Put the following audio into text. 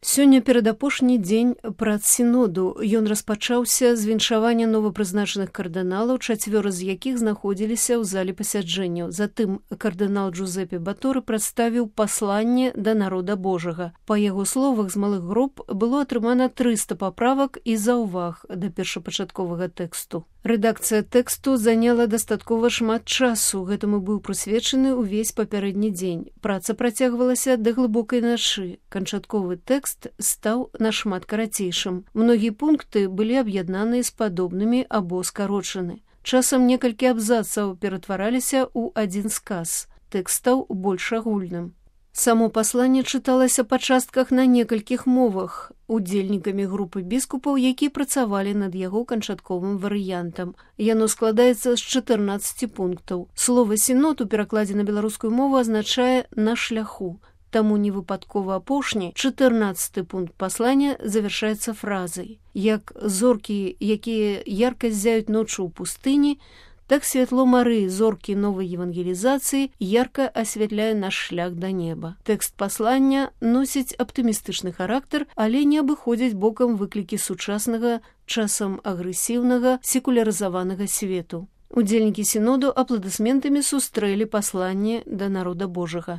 Сёння перадапошні дзень прац сіноду. Ён распачаўся з віншавання новапрызначаных кардыналаў, 4 з якіх знаходзіліся ў зале пасяджэнняў. Затым кардынал Джузепе Баторы прадставіў пасланне да народа Божага. Па яго словах, з малых груп было атрымана 300 паправак і заўваг да першапачатковага тэксту. Рэдакцыя тэксту заняла дастаткова шмат часу, гэтаму быў прысвечаны ўвесь папярэдні дзень. Праца працягвалася да глыбокай нашы. Канчатковы тэкст стаў нашмат карацейшым. Многія пункты былі аб'яднаныя з падобнымі або скарочаны. Часам некалькі абзацаў ператвараліся ў адзін сказ. Тэкст стаў больш агульным. Само пасланне чыталася па частках на некалькіх мовах удзельнікамі групы біскупаў, якія працавалі над яго канчатковым варыянтам. Яно складаецца з 14 пунктаў. Слова «сінод» у перакладзе на беларускую мову азначае «на шляху». Таму невыпадкова апошні, 14 пункт паслання завяршаецца фразай. Як зоркі, якія ярка ззяюць ноччу ў пустыні, так святло Марыі, зоркі новай евангелізацыі, ярка асвятляе наш шлях да неба. Тэкст паслання носіць аптымістычны характар, але не абыходзіць бокам выклікі сучаснага, часам агрэсіўнага, секулярызаванага свету. Удзельнікі сіноду апладысментамі сустрэлі пасланне да народа Божага.